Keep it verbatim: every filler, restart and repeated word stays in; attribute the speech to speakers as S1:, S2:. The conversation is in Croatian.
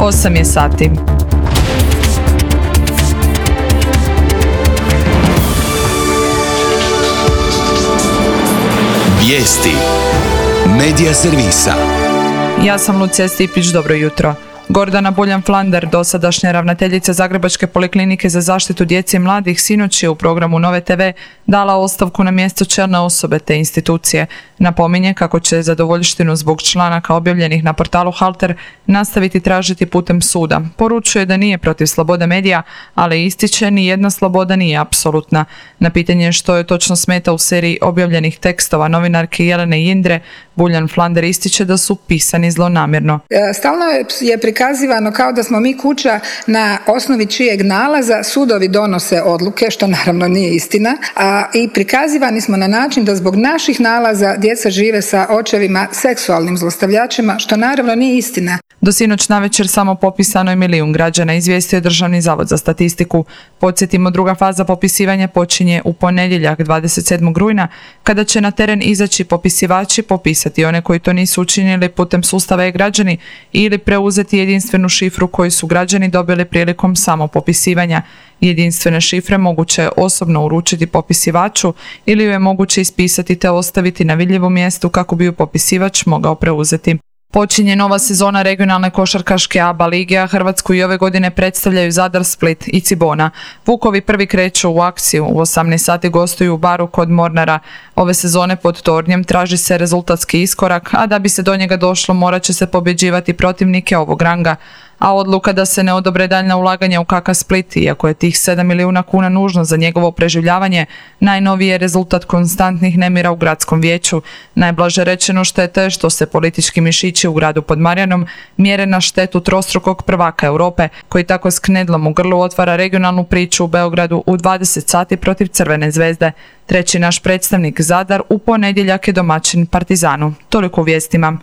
S1: osam je sati.
S2: Vijesti Medija servisa.
S1: Ja sam Lucija Stipić, dobro jutro. Gordana Buljan-Flander, dosadašnja ravnateljica Zagrebačke poliklinike za zaštitu djece i mladih, sinoć je u programu Nove te ve dala ostavku na mjesto čelne osobe te institucije. Napominje kako će zadovoljštinu zbog članaka objavljenih na portalu Halter nastaviti tražiti putem suda. Poručuje da nije protiv slobode medija, ali ističe ni jedna sloboda nije apsolutna. Na pitanje što je točno smeta u seriji objavljenih tekstova novinarke Jelene Jindre, Buljan-Flander ističe da su pisani zlonamjerno.
S3: Stalno je prikazivano kao da smo mi kuća na osnovi čijeg nalaza sudovi donose odluke, što naravno nije istina, a i prikazivani smo na način da zbog naših nalaza djeca žive sa očevima seksualnim zlostavljačima, što naravno nije istina.
S1: Do sinoć navečer samo popisano je milijun građana, izvijestio je Državni zavod za statistiku. Podsjetimo, druga faza popisivanja počinje u ponedjeljak dvadeset sedmog rujna, kada će na teren izaći popisivači, popisati one koji to nisu učinili putem sustava e-građani ili preuzeti jedinstvenu šifru koju su građani dobili prilikom samopopisivanja. Jedinstvene šifre moguće je osobno uručiti popisivaču ili ju je moguće ispisati te ostaviti na vidljivom mjestu kako bi ju popisivač mogao preuzeti. Počinje nova sezona regionalne košarkaške A B A lige, a Hrvatsku i ove godine predstavljaju Zadar, Split i Cibona. Vukovi prvi kreću u akciju, u osamnaest sati gostuju u Baru kod Mornara. Ove sezone pod tornjem traži se rezultatski iskorak, a da bi se do njega došlo morat će se pobjeđivati protivnike ovog ranga. A odluka da se ne odobre daljna ulaganja u K K Split, iako je tih sedam milijuna kuna nužno za njegovo preživljavanje, najnoviji je rezultat konstantnih nemira u gradskom vijeću. Najblaže rečeno štete je što se politički mišići u gradu pod Marjanom mjere na štetu trostrukog prvaka Europe, koji tako s knedlom u grlu otvara regionalnu priču u Beogradu u dvadeset sati protiv Crvene zvezde. Treći naš predstavnik Zadar u ponedjeljak je domaćin Partizanu. Toliko u vijestima.